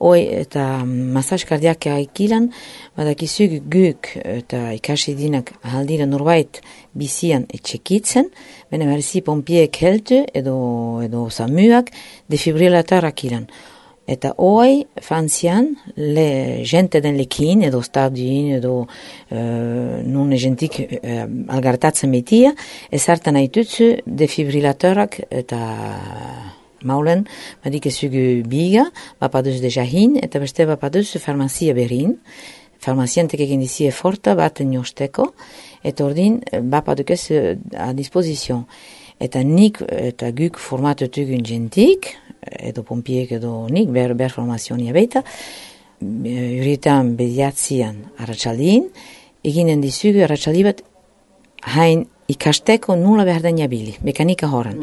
Hoi eta masaj kardiaka ikilan, badakizuk guk eta ikasi dinak ahaldira norbait bizian etxekitzen, bene berzi pompiek heltu edo samuak defibrilatorrak ilan. Eta hoi frantzian, gente den lekin edo stadin edo non gentik algartatzen betia, ezartan haitutzu defibrilatorrak eta maulen, badik ezugu biga, bapaduz dejahin, eta beste bapaduz farmazia berin. Farmaziantek egin dizie forta bat niosteko, eta ordin bapaduk ez a disposizion. Eta nik eta guk formatutugun jentik, edo pompiek edo nik, ber formazionia beita, urietan bediatzian arratsaldiin, eginen dizugu arratsaldi bat hain ikasteko nula behar da nabili, mekanika horren.